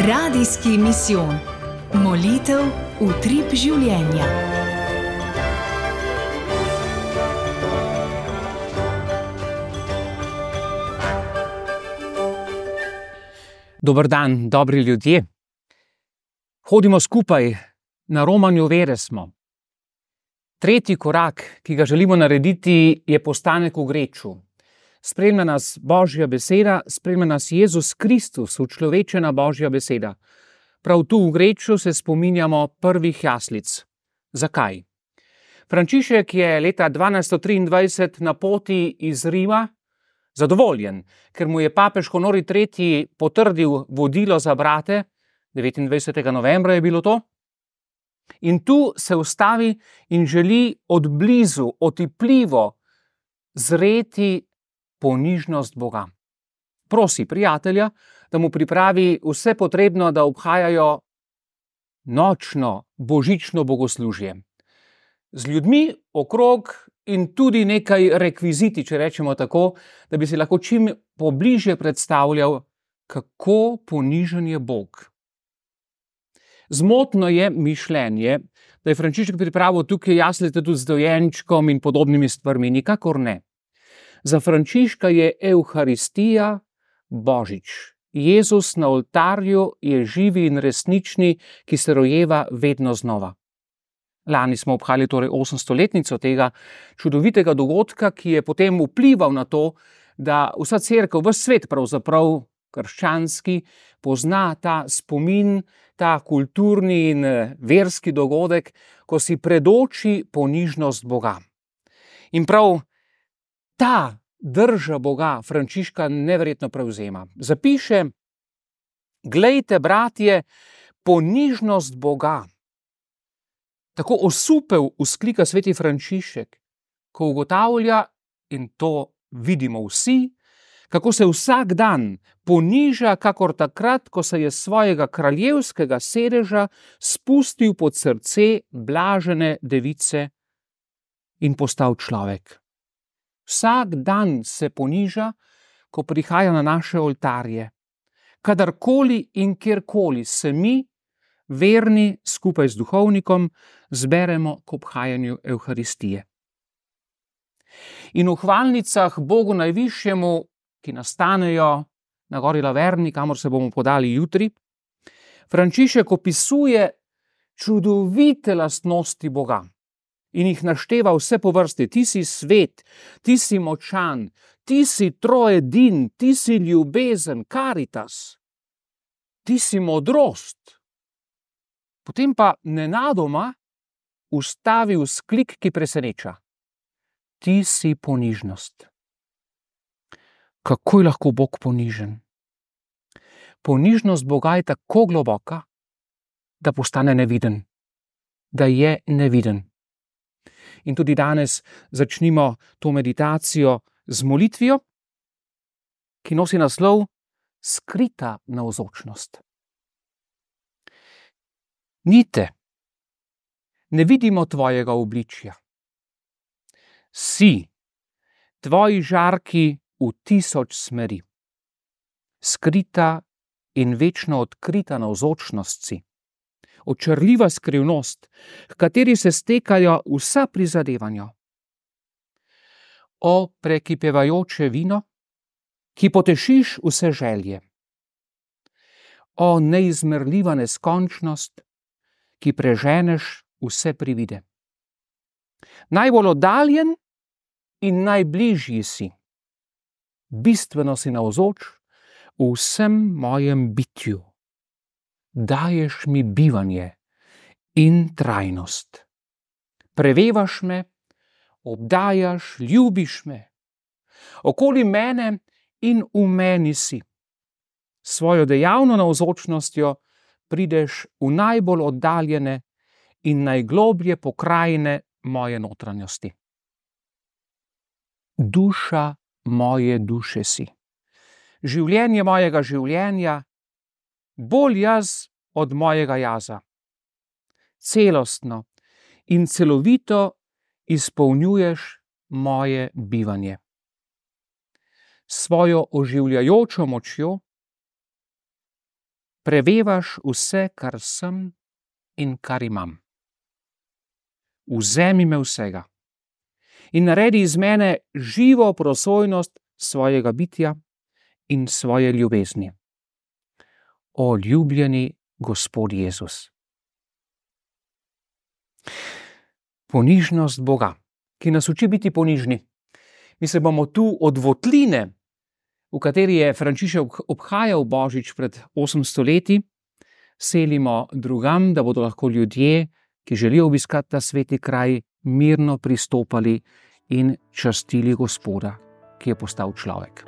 Radijski misijon. Molitev utrip življenja. Dober dan, dobri ljudje. Hodimo skupaj, na romanju vere smo. Tretji korak, ki ga želimo narediti, je postanek v greču. Spremlja nas Božja beseda, spremlja nas Jezus Kristus, učlovečena Božja beseda. Prav tu v greču se spominjamo prvih jaslic. Zakaj? Frančišek je leta 1223 na poti iz Rima zadovoljen, ker mu je papež Honori III. Potrdil vodilo za brate, 29. novembra je bilo to, in tu se ustavi in želi odblizu, otipljivo zreti ponižnost Boga. Prosi prijatelja, da mu pripravi vse potrebno, da obhajajo nočno božično bogoslužje. Z ljudmi okrog in tudi nekaj rekviziti, če rečemo tako, da bi si lahko čim pobližje predstavljal, kako ponižen je Bog. Zmotno je mišljenje, da je Frančišek pripravil tukaj jaslice tudi z dojenčkom in podobnimi stvarmi. Nikakor ne. Za Frančiška je Evharistija Božič. Jezus na oltarju je živi in resnični, ki se rojeva vedno znova. Lani smo obhajali torej 800-letnico tega čudovitega dogodka, ki je potem vplival na to, da vsa cerkev, ves svet pravzaprav krščanski, pozna ta spomin, ta kulturni in verski dogodek, ko si predoči ponižnost Boga. In prav ta drža Boga Frančiška neverjetno prevzema. Zapiše: glejte, bratje, ponižnost Boga. Tako osupel vzklika sveti Frančišek, ko ugotavlja, in to vidimo vsi, kako se vsak dan poniža, kakor takrat, ko se je svojega kraljevskega sedeža spustil pod srce blažene device in postal človek. Vsak dan se poniža, ko prihaja na naše oltarje. Kadarkoli in kjerkoli se mi, verni, skupaj z duhovnikom, zberemo k obhajanju Evharistije. In v hvalnicah Bogu najvišjemu, ki nastanejo na gori Laverni, kamor se bomo podali jutri, Frančišek opisuje čudovite lastnosti Boga in jih našteva vse po vrsti. Ti si svet, ti si močan, ti si troedin, ti si ljubezen, karitas, ti si modrost. Potem pa nenadoma ustavi vzklik, ki preseneča. Ti si ponižnost. Kako je lahko Bog ponižen? Ponižnost Boga je tako globoka, da postane neviden. Da je neviden. In tudi danes začnimo to meditacijo z molitvijo, ki nosi naslov Skrita navzočnost. Nite, ne vidimo tvojega obličja. Si, tvoji žarki v 1000 smeri. Skrita in večno odkrita navzočnost si. Očarljiva skrivnost, h kateri se stekajo vsa prizadevanja. O prekipevajoče vino, ki potešiš vse želje. O neizmerljiva neskončnost, ki preženeš vse privide. Najbolj oddaljen in najbližji si. Bistveno si navzoč v vsem mojem bitju. Daješ mi bivanje in trajnost. Prevevaš me, obdajaš, ljubiš me. Okoli mene in v meni si. Svojo dejavno navzočnostjo prideš v najbolj oddaljene in najgloblje pokrajine moje notranjosti. Duša moje duše si. Življenje mojega življenja, bolj jaz od mojega jaza. Celostno in celovito izpolnjuješ moje bivanje. S svojo oživljajočo močjo prevevaš vse, kar sem in kar imam. Vzemi me vsega in naredi iz mene živo prosojnost svojega bitja in svoje ljubezni. O ljubljeni Gospod Jezus. Ponižnost Boga, ki nas uči biti ponižni. Mi se bomo tu od votline, v kateri je Frančišek obhajal Božič pred 800 leti, selimo drugam, da bodo lahko ljudje, ki želijo obiskati ta sveti kraj, mirno pristopali in častili Gospoda, ki je postal človek.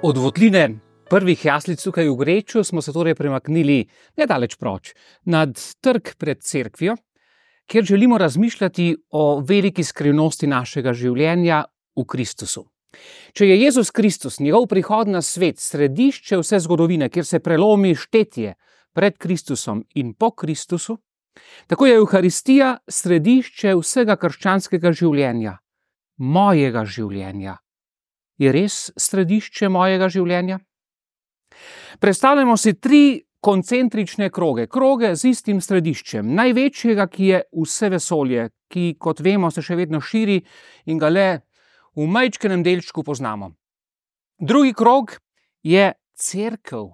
Od votline prvih jaslic tukaj v Greču smo se torej premaknili nedaleč proč, nad trg pred cerkvijo, kjer želimo razmišljati o veliki skrivnosti našega življenja v Kristusu. Če je Jezus Kristus, njegov prihod na svet, središče vse zgodovine, kjer se prelomi štetje pred Kristusom in po Kristusu, tako je Evharistija središče vsega krščanskega življenja, mojega življenja. Je res središče mojega življenja? Predstavljamo si 3 koncentrične kroge z istim središčem, največjega, ki je vse vesolje, ki, kot vemo, se še vedno širi in ga le v majčkenem delčku poznamo. Drugi krog je cerkev,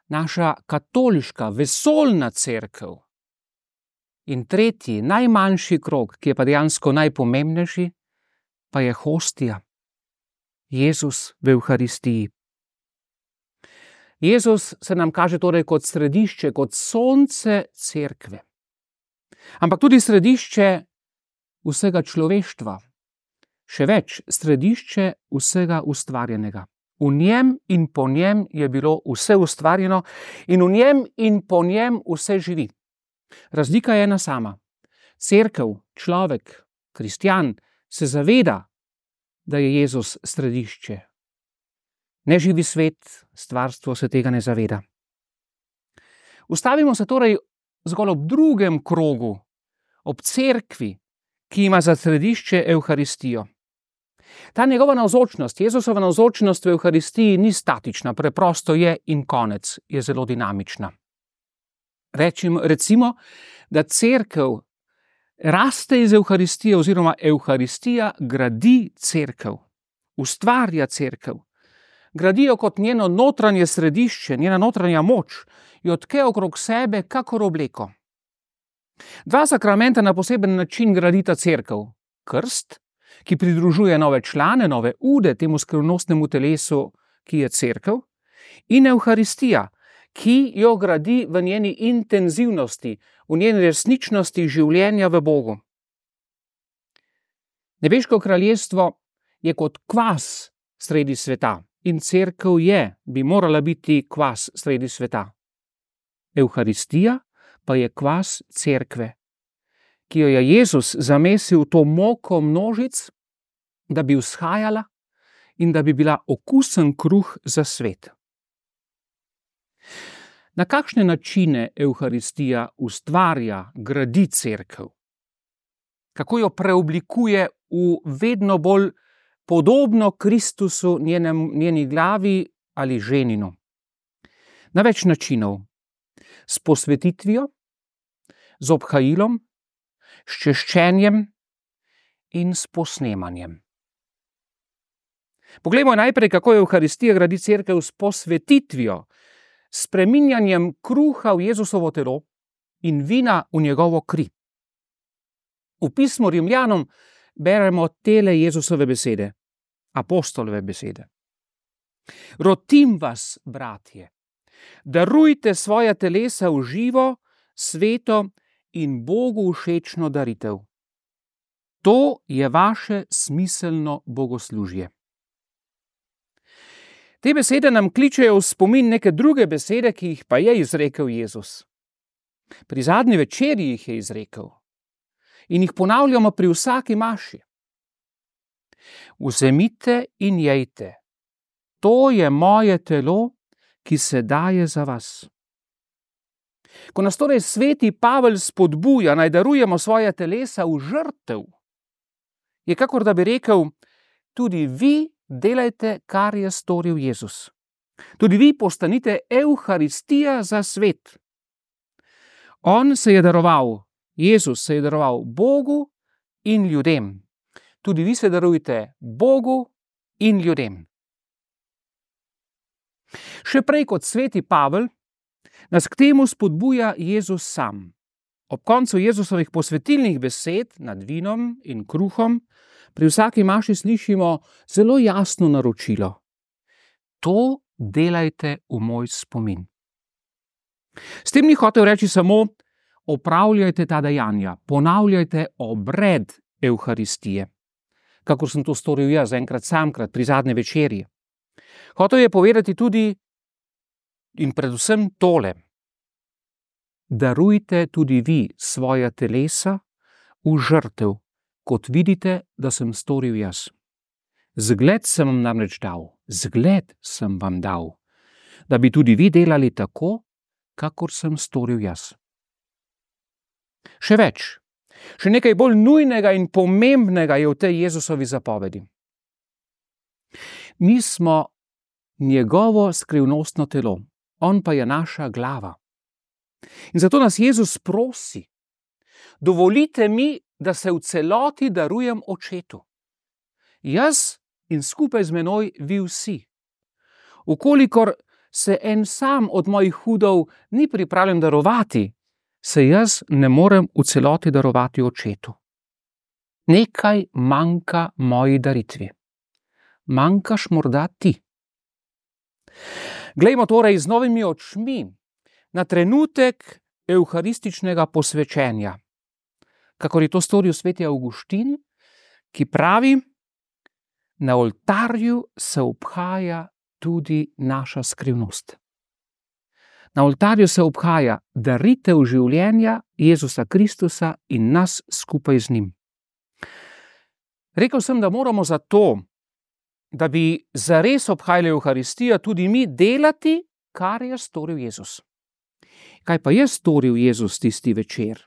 naša katoliška, vesoljna cerkev. In tretji, najmanjši krog, ki je pa dejansko najpomembnejši, pa je hostija. Jezus v Evharistiji. Jezus se nam kaže torej kot središče, kot sonce cerkve. Ampak tudi središče vsega človeštva. Še več, središče vsega ustvarjenega. V njem in po njem je bilo vse ustvarjeno in v njem in po njem vse živi. Razlika je ena sama. Cerkev, človek, kristjan se zaveda, da je Jezus središče. Neživi svet, stvarstvo se tega ne zaveda. Ustavimo se torej zgolj ob drugem krogu, ob cerkvi, ki ima za središče Evharistijo. Ta njegova navzočnost, Jezusova navzočnost v Evharistiji ni statična, preprosto je in konec, je zelo dinamična. Recimo, da cerkev raste iz Evharistije oziroma Evharistija gradi cerkev, ustvarja cerkev. Gradijo kot njeno notranje središče, njena notranja moč, jo tke okrog sebe kakor obleko. 2 sakramenta na poseben način gradita cerkev. Krst, ki pridružuje nove člane, nove ude temu skrivnostnemu telesu, ki je cerkev, in Evharistija, ki jo gradi v njeni intenzivnosti, v njeni resničnosti življenja v Bogu. Nebeško kraljestvo je kot kvas sredi sveta in cerkev bi morala biti kvas sredi sveta. Evharistija pa je kvas cerkve, ki jo je Jezus zamesil v to moko množic, da bi vzhajala in da bi bila okusen kruh za svet. Na kakšne načine Evharistija ustvarja, gradi cerkev? Kako jo preoblikuje v vedno bolj podobno Kristusu, njeni glavi ali ženinu? Na več načinov. S posvetitvijo, z obhajilom, s češčenjem in s posnemanjem. Poglejmo najprej, kako Evharistija gradi cerkev s posvetitvijo, s spreminjanjem kruha v Jezusovo telo in vina v njegovo kri. V pismu Rimljanom beremo tele Jezusove besede, apostolove besede. Rotim vas, bratje, darujte svoja telesa v živo, sveto in Bogu všečno daritev. To je vaše smiselno bogoslužje. Te besede nam kličejo v spomin neke druge besede, ki jih pa je izrekel Jezus. Pri zadnji večerji jih je izrekel in jih ponavljamo pri vsaki maši. Vzemite in jejte, to je moje telo, ki se daje za vas. Ko nas torej sveti Pavel spodbuja, naj darujemo svoja telesa v žrtev, je kakor da bi rekel, tudi vi delajte, kar je storil Jezus. Tudi vi postanite Evharistija za svet. On se je daroval, Jezus se je daroval Bogu in ljudem. Tudi vi se darujte Bogu in ljudem. Še prej kot sveti Pavel nas k temu spodbuja Jezus sam. Ob koncu Jezusovih posvetilnih besed nad vinom in kruhom pri vsaki maši slišimo zelo jasno naročilo. To delajte v moj spomin. S tem ni hotel reči samo opravljajte ta dejanja, ponavljajte obred Evharistije, kakor sem to storil jaz enkrat samkrat pri zadnji večerji. Hotel je povedati tudi in predvsem tole. Darujte tudi vi svoja telesa v žrtev, kot vidite, da sem storil jaz. Zgled sem vam namreč dal, da bi tudi vi delali tako, kakor sem storil jaz. Še več, še nekaj bolj nujnega in pomembnega je v tej Jezusovi zapovedi. Mi smo njegovo skrivnostno telo, on pa je naša glava. In zato nas Jezus prosi, dovolite mi, da se v celoti darujem očetu. Jaz in skupaj z menoj vi vsi. Ukolikor se en sam od mojih hudov ni pripravljen darovati, se jaz ne morem v celoti darovati očetu. Nekaj manjka moji daritvi. Manjkaš morda ti. Glejmo torej z novimi očmi na trenutek evharističnega posvečenja, kakor je to storil sveti Avguštin, ki pravi, na oltarju se obhaja tudi naša skrivnost. Na oltarju se obhaja daritev življenja Jezusa Kristusa in nas skupaj z njim. Rekel sem, da moramo zato, da bi zares obhajali Evharistijo, tudi mi delati, kar je storil Jezus. Kaj pa je storil Jezus tisti večer?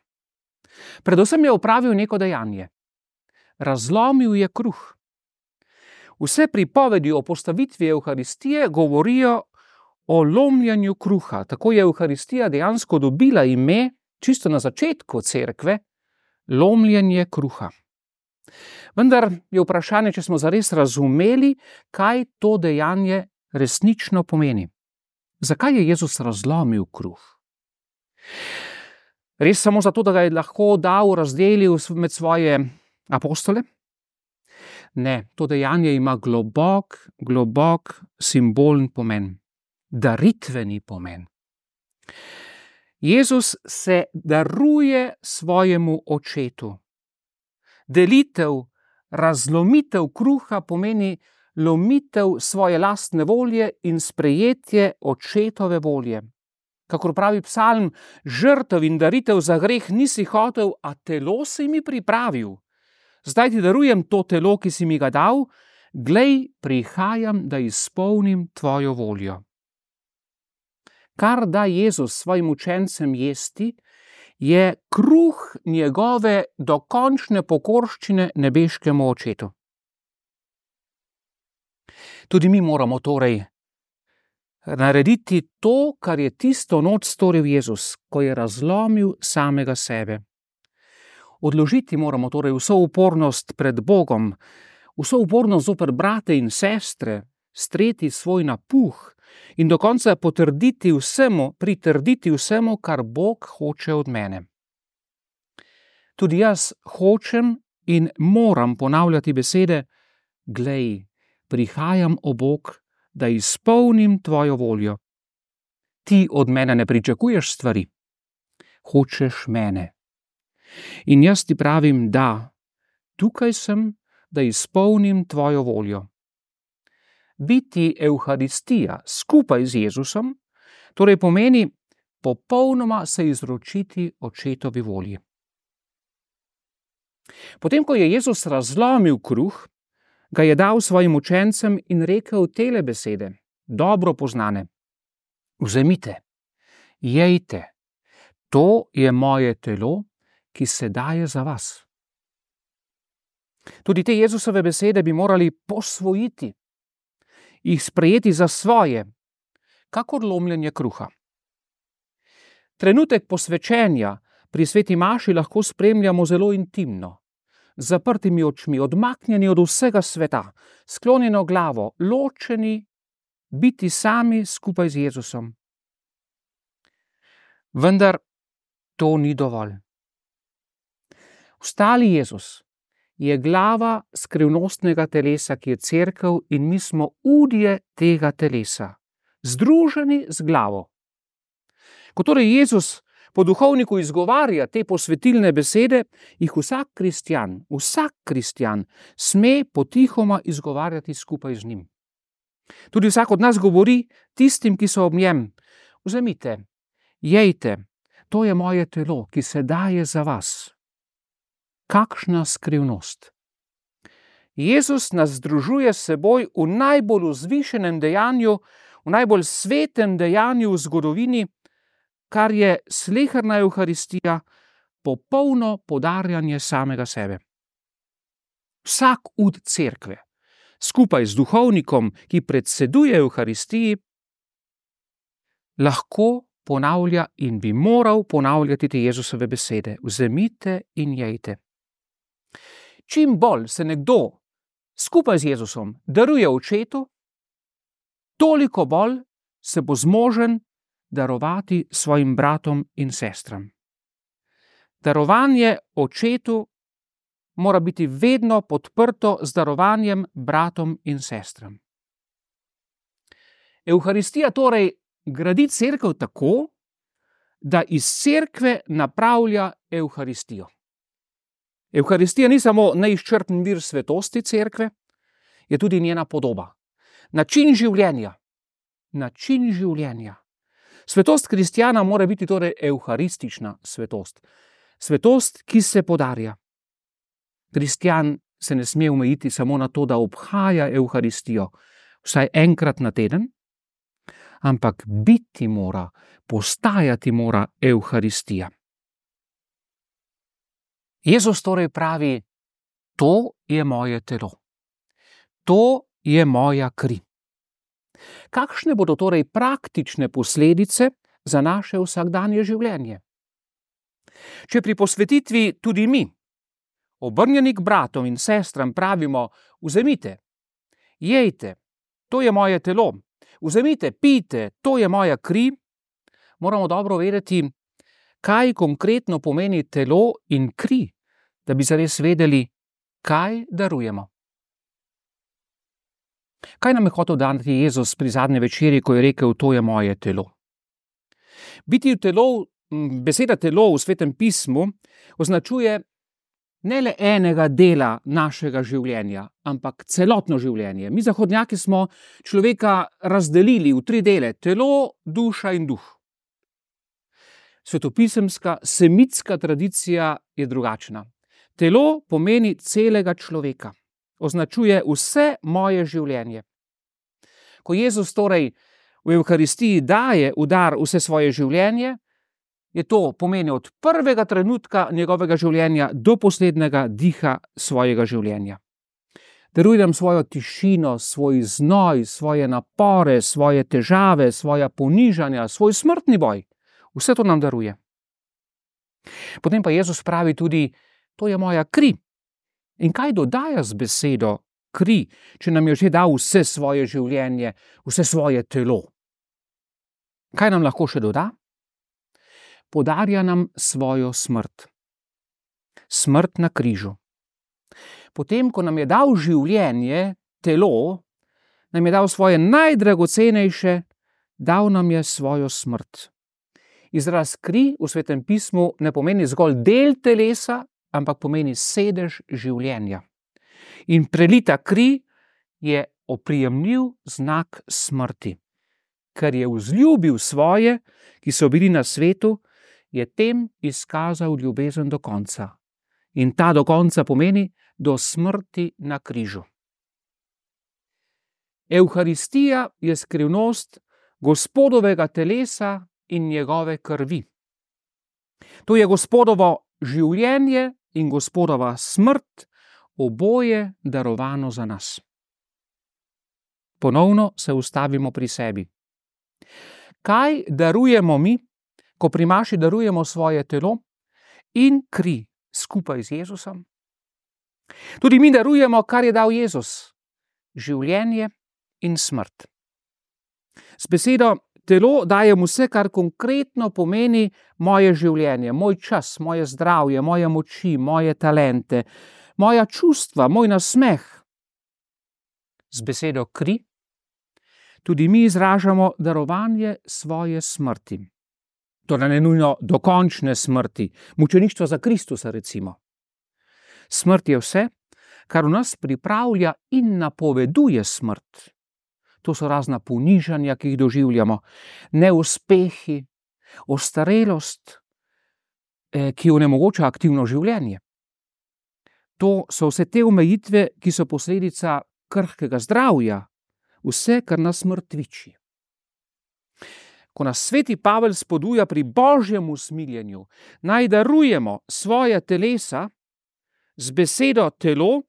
Predvsem je opravil neko dejanje. Razlomil je kruh. Vse pripovedi o postavitvi Evharistije govorijo o lomljenju kruha. Tako je Evharistija dejansko dobila ime, čisto na začetku cerkve, lomljenje kruha. Vendar je vprašanje, če smo zares razumeli, kaj to dejanje resnično pomeni. Zakaj je Jezus razlomil kruh? Res samo zato, da ga je lahko dal, razdelil med svoje apostole? Ne, to dejanje ima globok simbolen pomen, daritveni pomen. Jezus se daruje svojemu očetu. Delitev, razlomitev kruha pomeni lomitev svoje lastne volje in sprejetje očetove volje. Kakor pravi psalm, žrtev in daritev za greh nisi hotel, a telo si mi pripravil. Zdaj ti darujem to telo, ki si mi ga dal, glej, prihajam, da izpolnim tvojo voljo. kar da Jezus svojim učencem jesti, je kruh njegove dokončne pokorščine nebeškemu očetu. Tudi mi moramo torej narediti to, kar je tisto noč storil Jezus, ko je razlomil samega sebe. Odložiti moramo torej vso upornost pred Bogom, vso upornost zoper brate in sestre, streti svoj napuh in do konca pritrditi vsemu, kar Bog hoče od mene. Tudi jaz hočem in moram ponavljati besede: glej, prihajam, o Bog, da izpolnim tvojo voljo. Ti od mene ne pričakuješ stvari, hočeš mene. In jaz ti pravim, da, tukaj sem, da izpolnim tvojo voljo. Biti Evharistija skupaj z Jezusom, torej pomeni popolnoma se izročiti očetovi volji. Potem, ko je Jezus razlomil kruh, ga je dal svojim učencem in rekel tele besede, dobro poznane: vzemite, jejte, to je moje telo, ki se daje za vas. Tudi te Jezusove besede bi morali posvojiti, jih sprejeti za svoje, kakor lomljenje kruha. Trenutek posvečenja pri sveti maši lahko spremljamo zelo intimno, z zaprtimi očmi, odmaknjeni od vsega sveta, sklonjeno glavo, ločeni, biti sami skupaj z Jezusom. Vendar to ni dovolj. Vstali Jezus je glava skrivnostnega telesa, ki je cerkev, in mi smo udje tega telesa, združeni z glavo. Ko torej Jezus po duhovniku izgovarja te posvetilne besede, jih vsak kristjan sme potihoma izgovarjati skupaj z njim. Tudi vsak od nas govori tistim, ki so ob njem: vzemite, jejte, to je moje telo, ki se daje za vas. Kakšna skrivnost! Jezus nas združuje s seboj v najbolj vzvišenem dejanju, v najbolj svetem dejanju v zgodovini, kar je sleherna Evharistija, popolno podarjanje samega sebe. Vsak ud cerkve, skupaj z duhovnikom, ki predseduje Evharistiji, lahko ponavlja in bi moral ponavljati te Jezusove besede: vzemite in jejte. Čim bolj se nekdo skupaj z Jezusom daruje očetu, toliko bolj se bo zmožen darovati svojim bratom in sestram. Darovanje očetu mora biti vedno podprto z darovanjem bratom in sestram. Evharistija torej gradi cerkev tako, da iz cerkve napravlja Evharistijo. Evharistija ni samo neizčrpen vir svetosti cerkve, je tudi njena podoba, način življenja. Svetost kristjana mora biti torej evharistična svetost. Svetost, ki se podarja. Kristjan se ne sme omejiti samo na to, da obhaja Evharistijo vsaj enkrat na teden, ampak biti mora, postajati mora Evharistija. Jezus torej pravi: to je moje telo. To je moja kri. Kakšne bodo torej praktične posledice za naše vsakdanje življenje? Če pri posvetitvi tudi mi, obrnjeni k bratom in sestram, pravimo: vzemite, jejte, to je moje telo, vzemite, pijte, to je moja kri, moramo dobro vedeti, kaj konkretno pomeni telo in kri, da bi zares vedeli, kaj darujemo. Kaj nam je hotel dati Jezus pri zadnji večeri, ko je rekel: to je moje telo? Biti v telo, beseda telo v Svetem pismu označuje ne le enega dela našega življenja, ampak celotno življenje. Mi zahodnjaki smo človeka razdelili v 3 dele: telo, duša in duh. Svetopisemska, semitska tradicija je drugačna. Telo pomeni celega človeka, označuje vse moje življenje. Ko Jezus torej v Evharistiji daje v dar vse svoje življenje, je to pomeni od prvega trenutka njegovega življenja do poslednjega diha svojega življenja. Daruje nam svojo tišino, svoj znoj, svoje napore, svoje težave, svoja ponižanja, svoj smrtni boj. Vse to nam daruje. Potem pa Jezus pravi tudi, to je moja kri. In kaj dodaja z besedo kri, če nam je že dal vse svoje življenje, vse svoje telo? Kaj nam lahko še doda? Podarja nam svojo smrt. Smrt na križu. Potem, ko nam je dal življenje, telo, nam je dal svoje najdragocenejše, dal nam je svojo smrt. Izraz kri v Svetem pismu ne pomeni zgolj del telesa, ampak pomeni sedež življenja. In prelita kri je oprijemljiv znak smrti. Ker je vzljubil svoje, ki so bili na svetu, je tem izkazal ljubezen do konca. In ta do konca pomeni do smrti na križu. Evharistija je skrivnost Gospodovega telesa in njegove krvi. To je Gospodovo življenje in Gospodova smrt, oboje darovano za nas. Ponovno se ustavimo pri sebi. Kaj darujemo mi, ko pri maši darujemo svoje telo in kri skupaj z Jezusom? Tudi mi darujemo, kar je dal Jezus, življenje in smrt. Z besedo telo dajem vse, kar konkretno pomeni moje življenje, moj čas, moje zdravje, moje moči, moje talente, moja čustva, moj nasmeh. Z besedo kri tudi mi izražamo darovanje svoje smrti. Torej ne nujno dokončne smrti, mučeništva za Kristusa recimo. Smrt je vse, kar v nas pripravlja in napoveduje smrt. To so razna ponižanja, ki jih doživljamo, neuspehi, ostarelost, ki onemogoča aktivno življenje. To so vse te omejitve, ki so posledica krhkega zdravja, vse, kar nas mrtviči. Ko nas sveti Pavel spodbuja pri božjem usmiljenju, naj darujemo svoja telesa, z besedo telo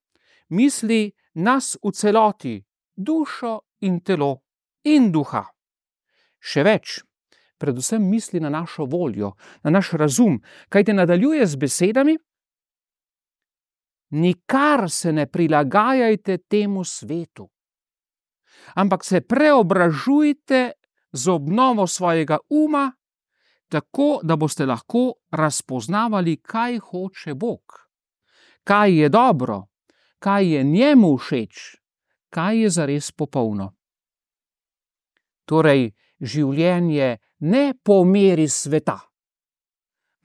misli nas v celoti, dušo in telo in duha. Še več, predvsem misli na našo voljo, na naš razum, kajte nadaljuje z besedami: nikar se ne prilagajajte temu svetu, ampak se preobražujte z obnovo svojega uma, tako da boste lahko razpoznavali, kaj hoče Bog, kaj je dobro, kaj je njemu všeč, kaj je zares popolno. Torej, življenje ne po meri sveta,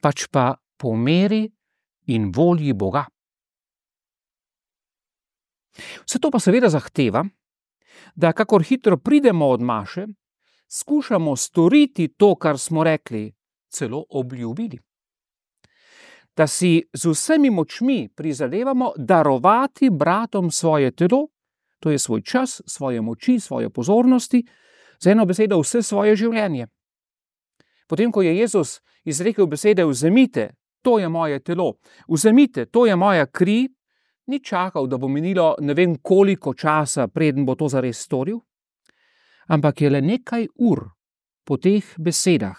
pač pa po meri in volji Boga. Vse to pa seveda zahteva, da kakor hitro pridemo od maše, skušamo storiti to, kar smo rekli, celo obljubili. Da si z vsemi močmi prizadevamo darovati bratom svoje telo, to je svoj čas, svoje moči, svoje pozornosti, z eno besedo vse svoje življenje. Potem, ko je Jezus izrekel besede: vzemite, to je moje telo, vzemite, to je moja kri, ni čakal, da bo minilo ne vem koliko časa, preden bo to zares storil, ampak je le nekaj ur po teh besedah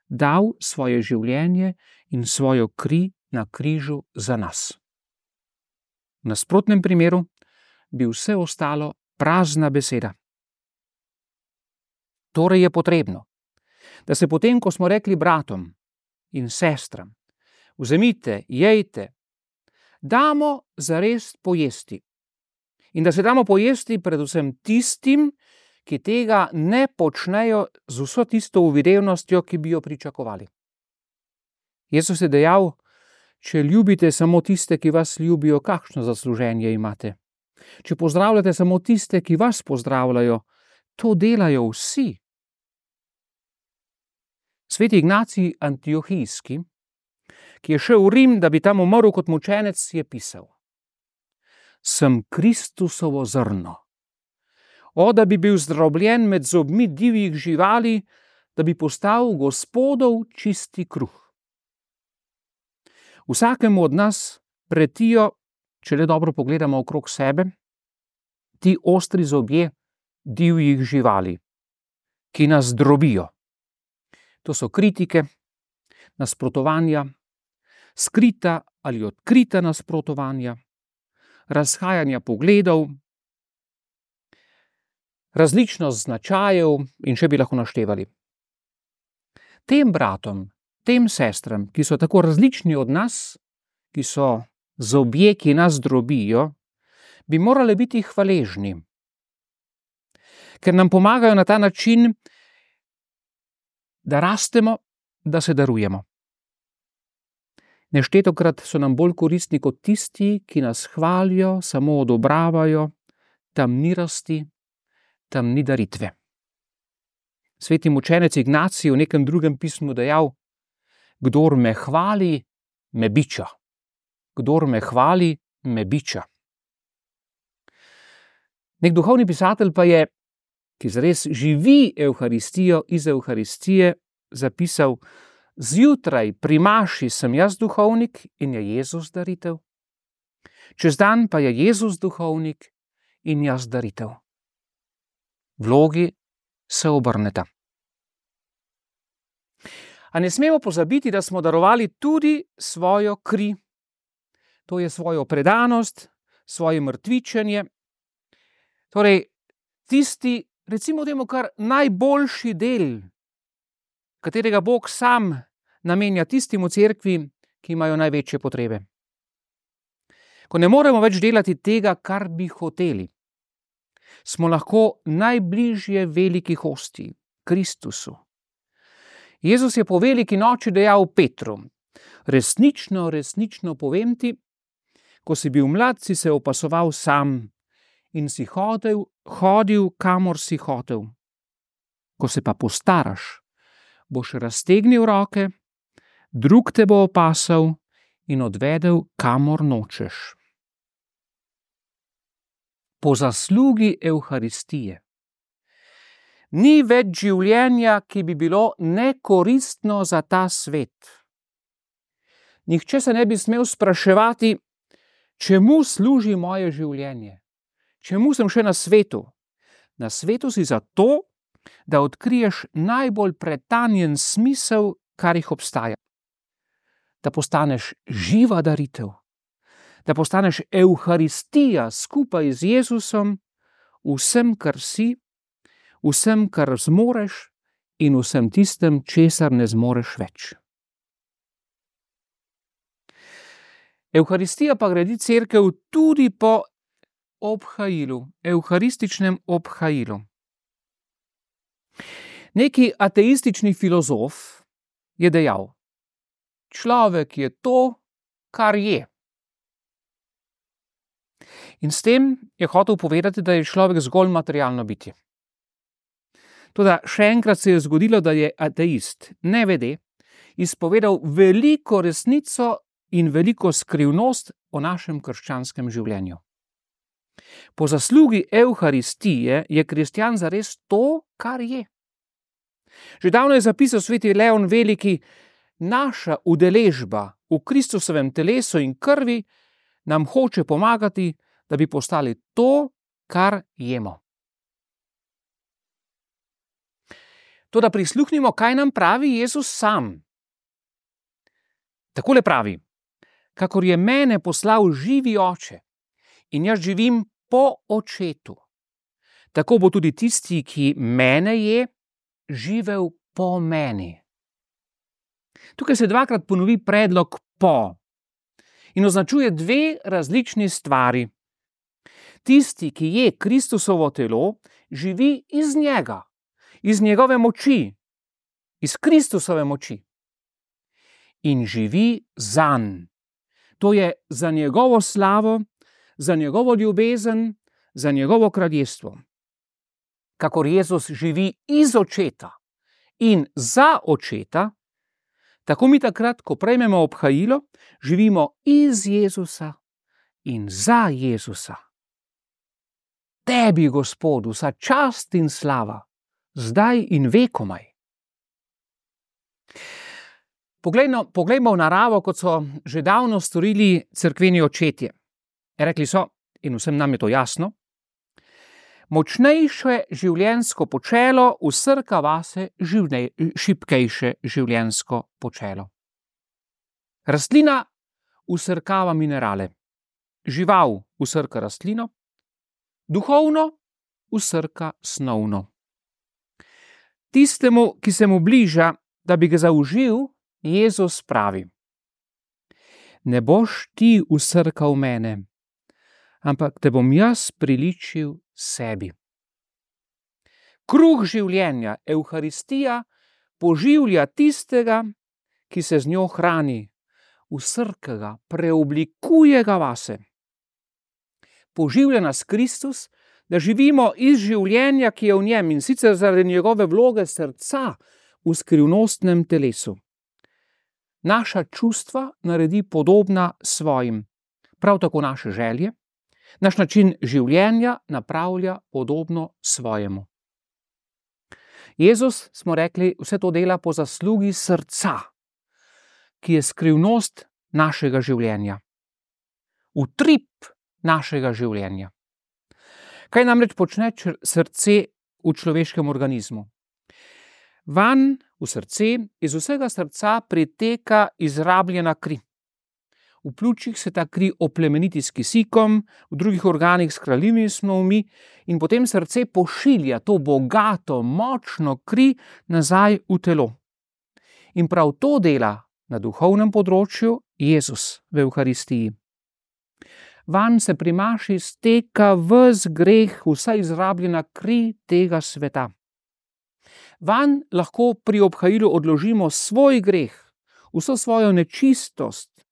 dal svoje življenje in svojo kri na križu za nas. V nasprotnem primeru bi vse ostalo prazna beseda. Torej je potrebno, da se potem, ko smo rekli bratom in sestram: vzemite, jejte, damo zares pojesti. In da se damo pojesti predvsem tistim, ki tega ne počnejo z vso tisto uvidevnostjo, ki bi jo pričakovali. Jezus je dejal: če ljubite samo tiste, ki vas ljubijo, kakšno zasluženje imate? Če pozdravljate samo tiste, ki vas pozdravljajo, to delajo vsi. Sveti Ignacij Antiohijski, ki je šel v Rim, da bi tam umrl kot mučenec, je pisal: sem Kristusovo zrno. da bi bil zdrobljen med zobmi divjih živali, da bi postal Gospodov čisti kruh. Vsakemu od nas pretijo, če le dobro pogledamo okrog sebe, ti ostri zobje divjih živali, ki nas drobijo. To so kritike, nasprotovanja, skrita ali odkrita nasprotovanja, razhajanja pogledov, različnost značajev in še bi lahko naštevali. Tem bratom, tem sestram, ki so tako različni od nas, ki so zobje, ki nas drobijo, bi morali biti hvaležni, ker nam pomagajo na ta način, da rastemo, da se darujemo. Neštetokrat so nam bolj koristni kot tisti, ki nas hvalijo, samo odobravajo, tam ni rasti, tam ni daritve. Sveti mučenec Ignacij v nekem drugem pismu dejal: kdor me hvali, me biča. Kdor me hvali, me biča. Nek duhovni pisatelj pa je, ki zares živi Evharistijo iz Evharistije, zapisal: zjutraj pri maši sem jaz duhovnik in je Jezus daritev. Čez dan pa je Jezus duhovnik in jaz daritev. Vlogi se obrneta. A ne smemo pozabiti, da smo darovali tudi svojo kri. To je svojo predanost, svoje mrtvičenje. Torej, tisti, recimo temu kar najboljši del, katerega Bog sam namenja tistim v cerkvi, ki imajo največje potrebe. Ko ne moremo več delati tega, kar bi hoteli, smo lahko najbližje veliki hostiji, Kristusu. Jezus je po veliki noči dejal Petru: resnično, resnično povem ti, ko si bil mlad, si se opasoval sam in si hodil, kamor si hotel. Ko se pa postaraš, boš raztegnil roke, drug te bo opasal in odvedel, kamor nočeš. Po zaslugi Evharistije ni več življenja, ki bi bilo nekoristno za ta svet. Nihče se ne bi smel spraševati, čemu služi moje življenje, čemu sem še na svetu. Na svetu si zato, da odkriješ najbolj pretanjen smisel, kar jih obstaja. Da postaneš živa daritev, da postaneš Evharistija skupaj z Jezusom, vsem, kar si, vsem, kar zmoreš in vsem tistem, česar ne zmoreš več. Evharistija pa gradi cerkev tudi po obhajilu, evharističnem obhajilu. Neki ateistični filozof je dejal: človek je to, kar je. In s tem je hotel povedati, da je človek zgolj materialno bitje. Toda še enkrat se je zgodilo, da je ateist, nevede, izpovedal veliko resnico in veliko skrivnost o našem krščanskem življenju. Po zaslugi Evharistije je kristjan zares to, kar je. Že davno je zapisal sveti Leon Veliki: naša udeležba v Kristusovem telesu in krvi nam hoče pomagati, da bi postali to, kar jemo. Toda prisluhnimo, kaj nam pravi Jezus sam. Takole pravi: kakor je mene poslal živi Oče in jaz živim po Očetu, tako bo tudi tisti, ki mene je, živel po meni. Tukaj se dvakrat ponovi predlog po in označuje dve različni stvari. Tisti, ki je Kristusovo telo, živi iz njega, iz njegove moči, iz Kristusove moči. In živi zanj. To je za njegovo slavo, za njegovo ljubezen, za njegovo kraljestvo. Kakor Jezus živi iz Očeta in za Očeta, tako mi takrat, ko prejmemo obhajilo, živimo iz Jezusa in za Jezusa. tebi, Gospod, vsa čast in slava, zdaj in vekomaj. Poglejmo v naravo, kot so že davno storili cerkveni očetje. Rekli so, in vsem nam je to jasno, močnejše življenjsko počelo vsrka vase šibkejše življenjsko počelo. Rastlina vsrkava minerale, žival vsrka rastlino, duhovno vsrka snovno. Tistemu, ki se mu bliža, da bi ga zaužil, Jezus pravi: ne boš ti vsrkal mene, ampak te bom jaz priličil sebi. Kruh življenja, Evharistija, poživlja tistega, ki se z njo hrani, vsrka ga, preoblikuje ga vase. Poživlja nas Kristus, da živimo iz življenja, ki je v njem, in sicer zaradi njegove vloge srca v skrivnostnem telesu. Naša čustva naredi podobna svojim, prav tako naše želje, naš način življenja napravlja podobno svojemu. Jezus, smo rekli, vse to dela po zaslugi srca, ki je skrivnost našega življenja, utrip našega življenja. Kaj namreč počne srce v človeškem organizmu? Vanj, v srce, iz vsega srca priteka izrabljena kri. V pljučih se ta kri oplemeniti s kisikom, v drugih organih s hranljivimi snovmi in potem srce pošilja to bogato, močno kri nazaj v telo. In prav to dela na duhovnem področju Jezus v Evharistiji. Vanj se pri maši steka ves greh, vsa izrabljena kri tega sveta. Vanj lahko pri obhajilu odložimo svoj greh, vso svojo nečistost.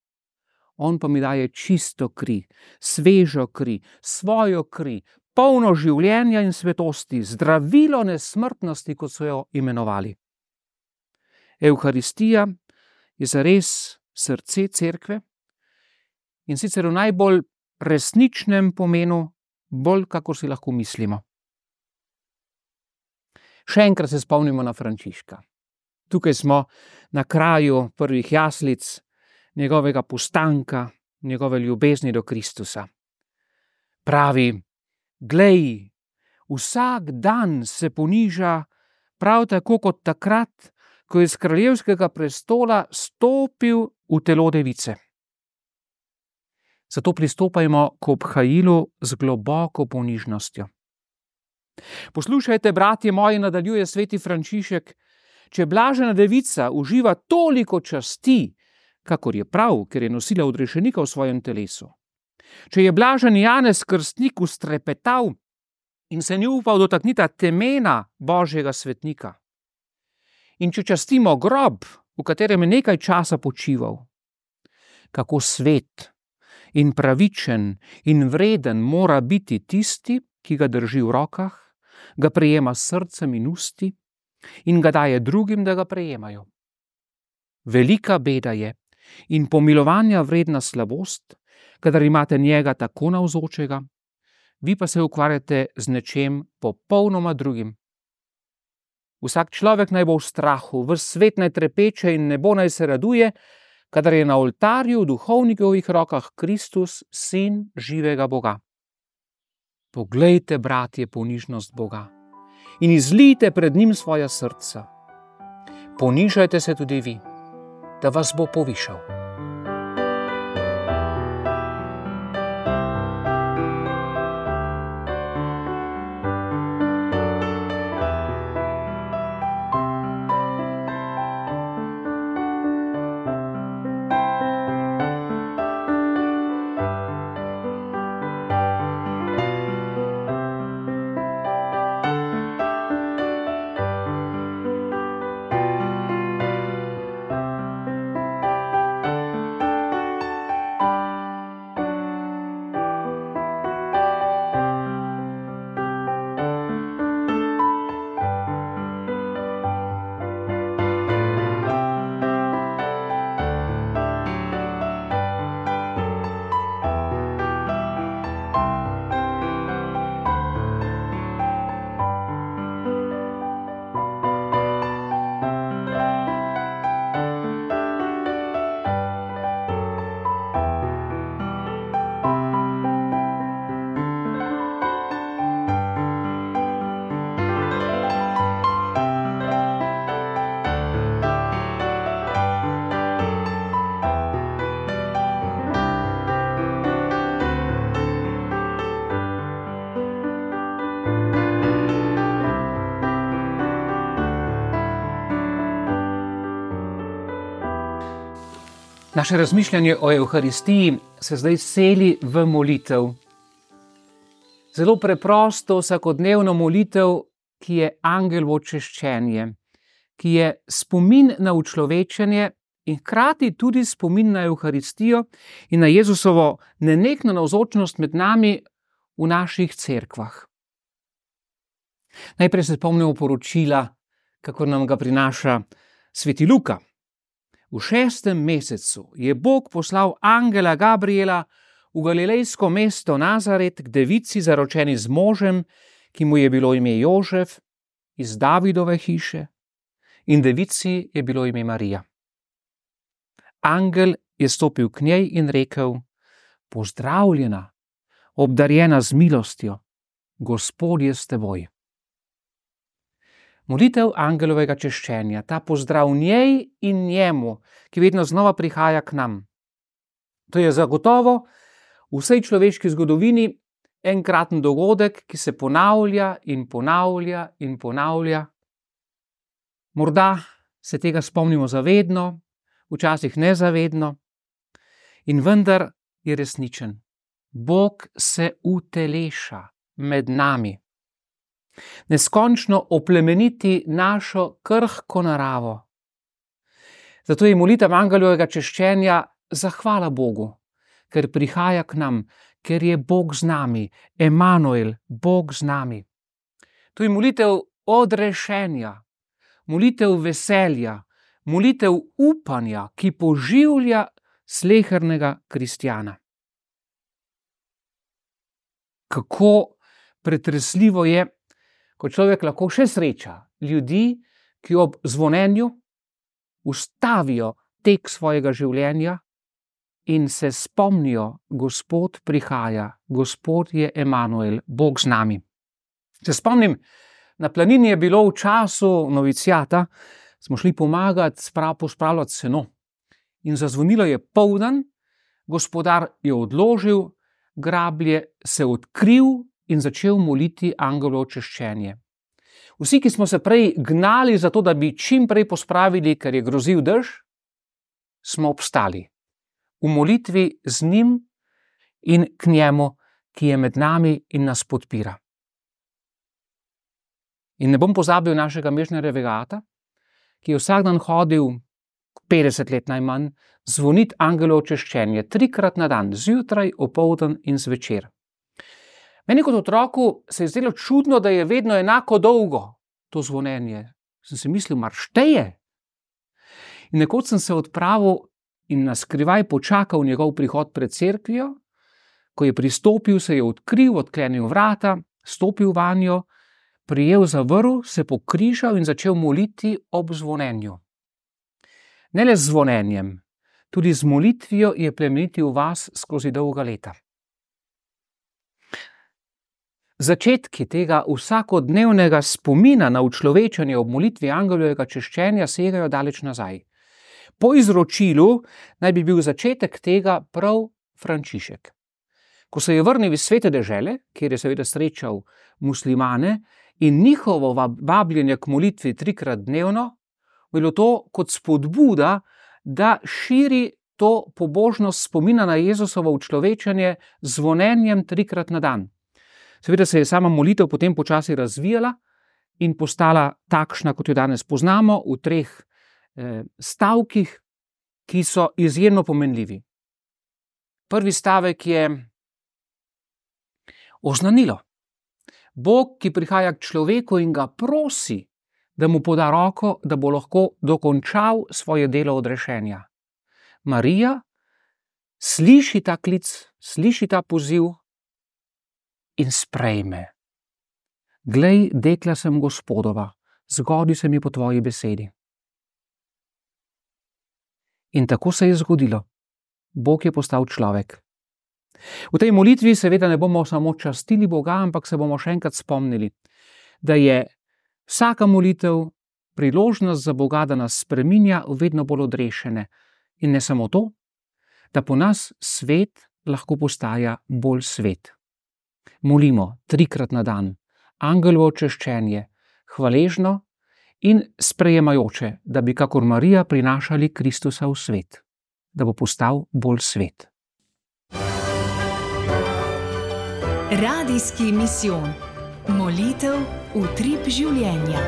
On pa mi daje čisto kri, svežo kri, svojo kri, polno življenja in svetosti, zdravilo nesmrtnosti, kot so jo imenovali. Evharistija je zares srce cerkve in sicer v najbolj resničnem pomenu, bolj kakor si lahko mislimo. Še enkrat se spomnimo na Frančiška. Tukaj smo na kraju prvih jaslic, njegovega postanka, njegove ljubezni do Kristusa. Pravi: glej, vsak dan se poniža prav tako kot takrat, ko je z kraljevskega prestola stopil v telo device. Zato pristopajmo k obhajilu z globoko ponižnostjo. Poslušajte, bratje moji, nadaljuje sveti Frančišek, če blažena devica uživa toliko časti, kakor je prav, ker je nosila odrešenika v svojem telesu. Če je blažen Janez Krstnik ustrepetal in se ni upal dotakniti temena Božjega svetnika. In če častimo grob, v katerem je nekaj časa počival, kako svet in pravičen in vreden mora biti tisti, ki ga drži v rokah, ga prejema s srcem in usti in ga daje drugim, da ga prejemajo. Velika beda je in pomilovanja vredna slabost, kadar imate njega tako navzočega, vi pa se ukvarjate z nečem popolnoma drugim. Vsak človek naj bo v strahu, ves svet naj trepeče in nebo naj se raduje, kadar je na oltarju v duhovnikovih rokah Kristus, sin živega Boga. Poglejte, bratje, ponižnost Boga in izlijte pred njim svoja srca. Ponižajte se tudi vi, da vas bo povišal. Naše razmišljanje o Evharistiji se zdaj seli v molitev. Zelo preprosto, vsakodnevno molitev, ki je angelovo češčenje, ki je spomin na učlovečenje in hkrati tudi spomin na Evharistijo in na Jezusovo nenehno navzočnost med nami v naših cerkvah. Najprej se spomnimo poročila, kako nam ga prinaša sveti Luka. V 6. mesecu je Bog poslal angela Gabriela v galilejsko mesto Nazaret k devici, zaročeni z možem, ki mu je bilo ime Jožef, iz Davidove hiše, in devici je bilo ime Marija. Angel je stopil k njej in rekel: Pozdravljena, obdarjena z milostjo, Gospod je s teboj. Molitev angelovega češčenja, ta pozdrav njej in njemu, ki vedno znova prihaja k nam. To je zagotovo v vsej človeški zgodovini enkraten dogodek, ki se ponavlja in ponavlja in ponavlja. Morda se tega spomnimo zavedno, včasih nezavedno, in vendar je resničen. Bog se uteleša med nami. Neskončno oplemeniti našo krhko naravo. Zato je molitev angelovega češčenja zahvala Bogu, ker prihaja k nam, ker je Bog z nami, Emanuel, Bog z nami. To je molitev odrešenja, molitev veselja, molitev upanja, ki poživlja slehernega kristjana. Kako pretresljivo je, ko človek lahko še sreča ljudi, ki ob zvonjenju ustavijo tek svojega življenja in se spomnijo: Gospod prihaja, Gospod je Emanuel, Bog z nami. Se spomnim, na planini je bilo v času novicijata, smo šli pomagati pospravljati seno in zazvonilo je poldan, gospodar je odložil grablje, se odkril in začel moliti angelovo češčenje. Vsi, ki smo se prej gnali za to, da bi čim prej pospravili, ker je grozil dež, smo obstali v molitvi z njim in k njemu, ki je med nami in nas podpira. In ne bom pozabil našega Mežnerjevega ata, ki je vsak dan hodil 50 let najmanj zvoniti angelovo češčenje 3-krat na dan, zjutraj, opoldan in zvečer. Meni kot otroku se je zdelo čudno, da je vedno enako dolgo to zvonjenje. Sem si mislil, mar šteje? In nekoč sem se odpravil in na skrivaj počakal njegov prihod pred cerkvijo. Ko je pristopil, se je odkril, odklenil vrata, stopil vanjo, prijel za vrv, se pokrižal in začel moliti ob zvonjenju. Ne le z zvonjenjem, tudi z molitvijo je plemenitil vas skozi dolga leta. Začetki tega vsakodnevnega spomina na učlovečenje ob molitvi angelovega češčenja segajo daleč nazaj. Po izročilu naj bi bil začetek tega prav Frančišek. Ko se je vrnil iz svete dežele, kjer je seveda srečal muslimane in njihovo vabljenje k molitvi 3-krat dnevno, bilo to kot spodbuda, da širi to pobožnost spomina na Jezusovo učlovečenje z zvonjenjem 3-krat na dan. Seveda se je sama molitev potem počasi razvijala in postala takšna, kot jo danes poznamo, v 3 stavkih, ki so izjemno pomenljivi. Prvi stavek je oznanilo. Bog, ki prihaja k človeku in ga prosi, da mu poda roko, da bo lahko dokončal svoje delo odrešenja. Marija sliši ta klic, sliši ta poziv in sprejme. Glej, dekla sem Gospodova, zgodi se mi po tvoji besedi. In tako se je zgodilo. Bog je postal človek. V tej molitvi seveda ne bomo samo častili Boga, ampak se bomo še enkrat spomnili, da je vsaka molitev priložnost za Boga, da nas spreminja v vedno bolj odrešene. In ne samo to, da po nas svet lahko postaja bolj svet. Molimo 3-krat na dan, angelovo češčenje, hvaležno in sprejemajoče, da bi kakor Marija prinašali Kristusa v svet. da bo postal bolj svet. Radijski misijon. Molitev utrip življenja.